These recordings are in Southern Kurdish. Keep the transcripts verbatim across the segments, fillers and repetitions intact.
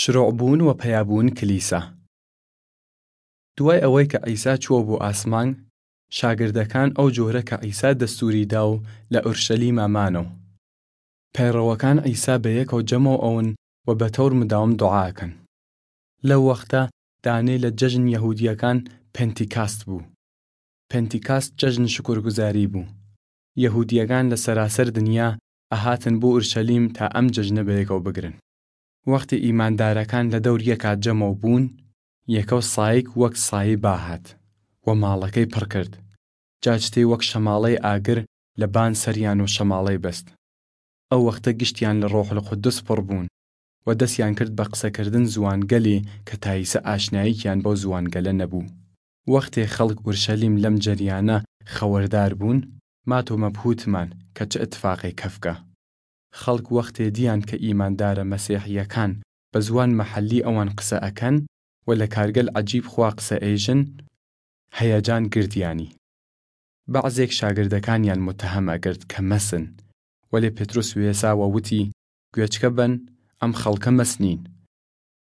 شرۆعبۊن وە پەیابۊن کلیسا. دۊای ئەوەی کە عیسا چووە بۆ ئاسمانگ، شاگردەکان ئەو جۆرە کە عیسا دەستووری دا و لە ئورشەلیما مانەو. پەیڕەوەکان عیسا بەیەکەو جەمەو ئەۊن و بەتەور مداوم دوعا ئەکەن. لەو وەختە دانێ لە جەژن یەهوودییەکان پەنتیکاست بۊ. پەنتیکاست جەژن شوکورگوزاری بۊ. یەهوودییەکان لە سەراسەر دنیا ئەهاتن بۆ ئورشەلیم تا ئەم جەژنە بەیەکەو بگرن. وەختێ ئیماندارەکان لە دەور یەکا جەمەو بۊن، یەکەو سایگ وەک سایێ با هات و ماڵەکەی پڕ کرد، جا چتێ وەک شەماڵەی ئاگر لە بان سەریان و شەماڵەی بەست. ئەو وەختە گشتیان لە ڕۆحولقودس پڕ بۊن و دەسیان کرد بە قسەکردن زوانگەلێ کە تا ئیسە ئاشناییکیان بەو زوانگەلە نەبۊ. وەختێ خەڵک ئورشەلیم لەم جەریانە خەوەردار بۊن، مات و مەبهووتمان کە چ ئتفاقێ کەفگە. خەڵک وەختێ دیان کە ئیماندارە مەسیحییەکان بە زوان مەحەلی ئەوان قسە ئەکەن و لە کارگەل عەجیب خوا قسە ئێژن، هەیەجان گردیانی. بەعزێگ شاگردەکانیان متهم ئەکرد کە مەسن، وەلێ پطرس وێسا و وتی، گوێچکە بەن، ئەم خەڵکە مەس نین.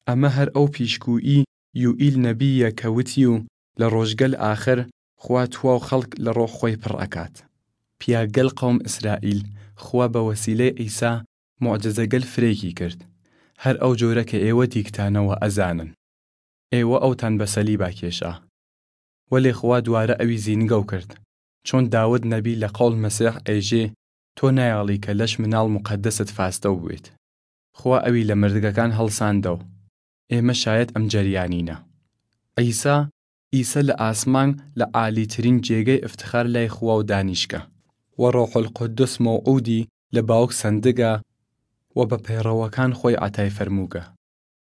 ئەمە هەر ئەو پیشگوویی یوئیل نەبییە کە وتیو، لە ڕۆژگەل ئاخر خوا تواو خەڵک لە ڕۆح خوەی پڕ ئەکات. پیاگەل قەوم ئسرائیل خوا بە وەسیلەی عیسا موعجزەگەل فرەیگی کرد، هەر ئەو جۆرە کە ئێوە دیگتانە و ئەزانن. ئێوە ئەوتان بە سەلیبا کێشا. وەلێ خوا دوارە ئەوی زینگەو کرد، چۆن داود نەبی لە قەول مەسیح ئێژێ، تۆ نایاڵی کە لەش مناڵ مقەدەست فاستەو بوێت. خوا ئەوی لە مردگەکان هەڵساندەو. ئێمە شایەت ئەم جەریانینە. عیسا، ئیسە لە ئاسمانگ لە عالیترین جێگەی ئفتخار لای خواو دانیشگە، و ڕۆحولقودس موعودی لە باوگ سەندگە و بە پەیڕەوەکان خوەی عەتای فەرمووگە،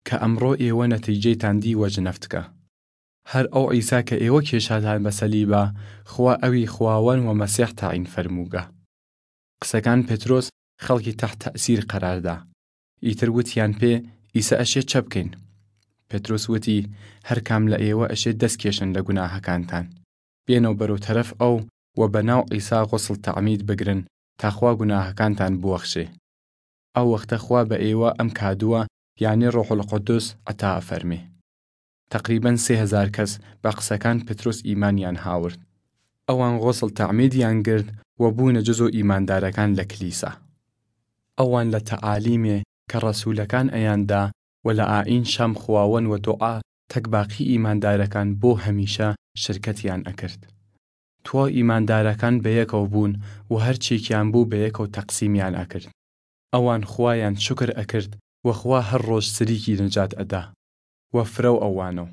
کە ئەمڕۆ ئێوە نەتیجەیتان دی وە ژنەفتگە. هەر ئەو عیسا کە ئێوە کێشاتان بە سەلیبا، خوا ئەوی خواوەن و مەسیح تەعین فەرمووگە. قسەکان پطرس خەڵکی تەحت تەئسیر قەرار دا. ئیتر وتیان پێ، ئیسە ئەشێ چە بکەین؟ پطرس وتی، هەر کام لە ئێوە ئەشێ دەس کێشن لە گوناهەکانتان. بێنەو بەرەو تەرەف ئەو و بە ناو عیسا غوسڵ تەعمید بگرن تا خوا گوناهەکانتان بوەخشێ. ئەو وەختە خوا بە ئێوە ئەم کادووە، یانێ ڕۆحولقودس، عەتا ئەفەرمێ. تەقریبەن سێ هەزار کەس بە قسەکان پطرس ئیمانیان هاورد. ئەوان غوسڵ تەعمیدیان گرد و بوونە جزو ئیماندارەکان لە کلیسا. ئەوان لە تەعالیمێ کە ڕەسوولەکان ئەیان دا و لە ئائین شام خواوەن و دوعا تەک باقی ئیماندارەکان بۆ هەمیشە شرکەتیان ئەکرد. تواو ئیماندارەکان بەیەکەو بوون و هەر چێکیان بۊ بەیەکەو تەقسیمیان ئەکرد. ئەوان خوایان شوکر ئەکرد و خوا هەر ڕۆژ سریکی نەجات ئەدا و فرەو ئەوانەو.